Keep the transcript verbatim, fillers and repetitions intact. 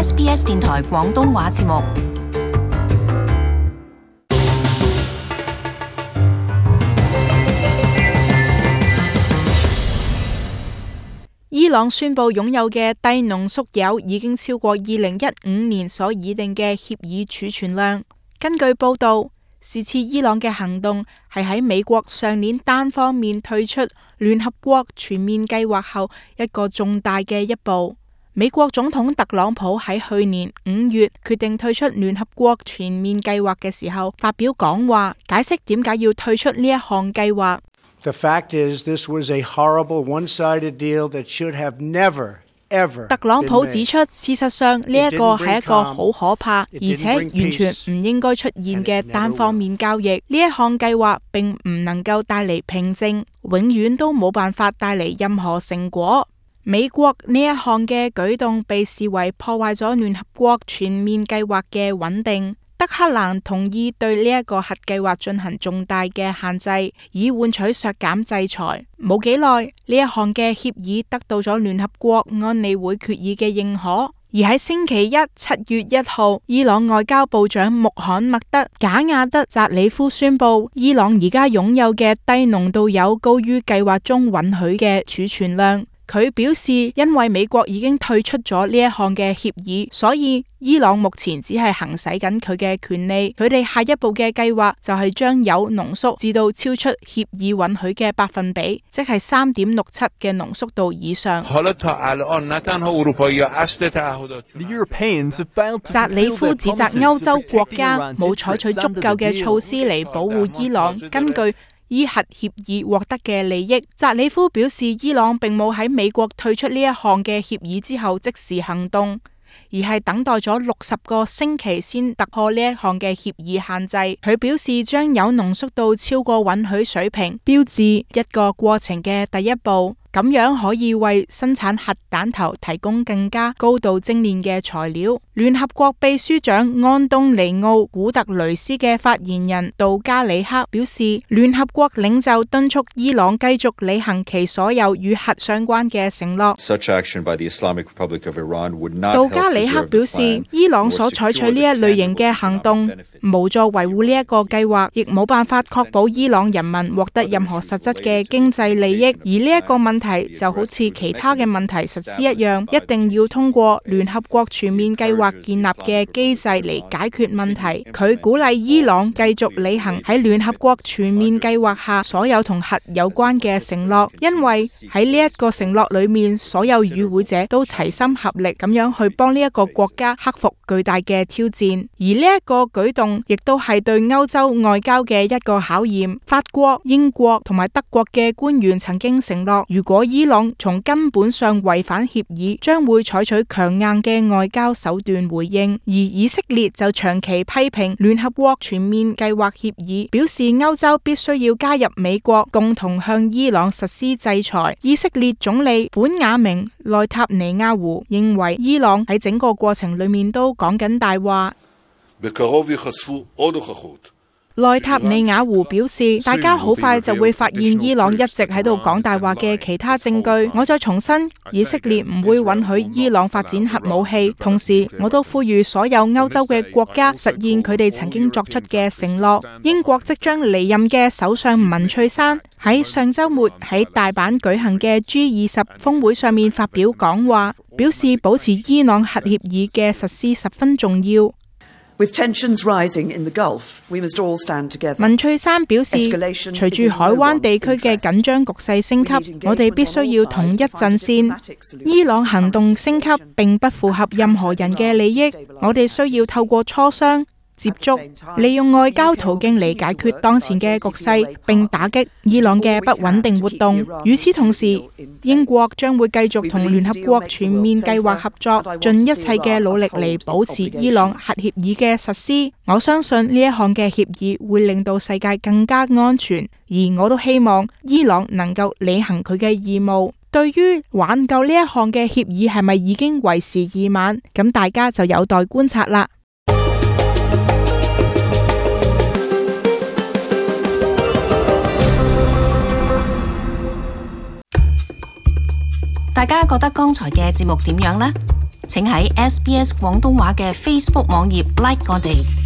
S B S 電台廣東話節目。伊朗宣布擁有嘅低濃縮鈾已經超過二零一五年所擬定嘅協議儲存量。根據報道，是次伊朗嘅行動係喺美國上年單方面退出聯合國全面計劃後一個重大嘅一步。美國總統特朗普喺去年五月決定退出聯合國全面計劃嘅時候發表講話，解釋點解要退出呢一項計劃。The fact is, this was a horrible one-sided deal that should have never特朗普指出，事實上呢一個係一個好可怕，而且完全唔應該出現嘅單方面交易。呢一項計劃並唔能夠帶嚟平靜，永遠都冇辦法帶嚟任何成果。美國呢一項嘅舉動被視為破壞咗聯合國全面計劃嘅穩定。德黑蘭同意對呢一個核計劃進行重大嘅限制，以換取削減制裁。冇幾耐，呢一項嘅協議得到咗聯合國安理會決議嘅認可。而喺星期一七月一號，伊朗外交部長穆罕默德賈亞德扎里夫宣布，伊朗而家擁有嘅低濃度鈾高於計劃中允許嘅儲存量。佢表示，因為美國已經退出咗呢一項嘅協議，所以伊朗目前只係行使緊佢嘅權利。佢哋下一步嘅計劃就係將鈾濃縮至到超出協議允許嘅百分比，即係三點六七嘅濃縮度以上。扎里夫指責歐洲國家冇採取足夠嘅措施嚟保護伊朗根據依核協議獲得嘅利益。扎里夫表示，伊朗並冇喺美國退出呢一項嘅協議之後即時行動，而係等待咗六十個星期先突破呢一項嘅協議限制。佢表示，將鈾濃縮到超過允許水平，標誌一個過程嘅第一步。咁樣可以為生產核彈頭提供更加高度精煉嘅材料。聯合國秘書長安東尼奧古特雷斯嘅發言人杜加里克表示，聯合國領袖敦促伊朗繼續履行其所有與核相關嘅承諾。杜加里克表示，伊朗所採取呢一類型嘅行動無助維護呢一個計劃，亦冇辦法確保伊朗人民獲得任何實質嘅經濟利益。而呢一個問題就好似其他嘅問題實施一樣，一定要通過聯合國全面計劃建立嘅機制嚟解決問題。佢鼓勵伊朗繼續履行喺聯合國全面計劃下所有同核有關嘅承諾，因為喺呢一個承諾裏面，所有與會者都齊心合力咁樣去幫呢一個國家克服巨大嘅挑戰。而呢一個舉動亦都係對歐洲外交嘅一個考驗。法國、英國同埋德國嘅官員曾經承諾，如果伊朗從根本上違反協議，將會採取強硬嘅外交手段回應。而以色列就長期批評聯合國全面計劃協議，表示歐洲必須要加入美國，共同向伊朗實施制裁。以色列總理本雅明內塔尼亞胡認為，伊朗喺整個過程裏面都講緊大話。內塔尼亞胡表示，大家好快就會發現伊朗一直喺度講大話嘅其他證據。我再重申，以色列唔會允許伊朗發展核武器。同時，我都呼籲所有歐洲嘅國家實現佢哋曾經作出嘅承諾。英國即將離任嘅首相文翠珊喺上週末喺大阪舉行嘅 G 二十峰會上面發表講話，表示保持伊朗核協議嘅實施十分重要。With tensions rising in the Gulf, we must all stand together. 文翠珊表示，隨住海灣地區嘅緊張局勢升級，我哋必須要統一陣線。伊朗行動升級並不符合任何人嘅利益，我哋需要透過磋商、接觸，利用外交途徑嚟解決當前嘅局勢，並打擊伊朗嘅不穩定活動。與此同時，英國將會繼續同聯合國全面計劃合作，盡一切嘅努力嚟保持伊朗核協議嘅實施。我相信呢一項嘅協議會令到世界更加安全，而我都希望伊朗能夠履行佢嘅義務。對於挽救呢一項嘅協議係咪已經為時已晚，咁大家就有待觀察啦。大家覺得剛才嘅節目點樣呢？請喺 S B S 廣東話嘅 Facebook 網頁 like 我哋。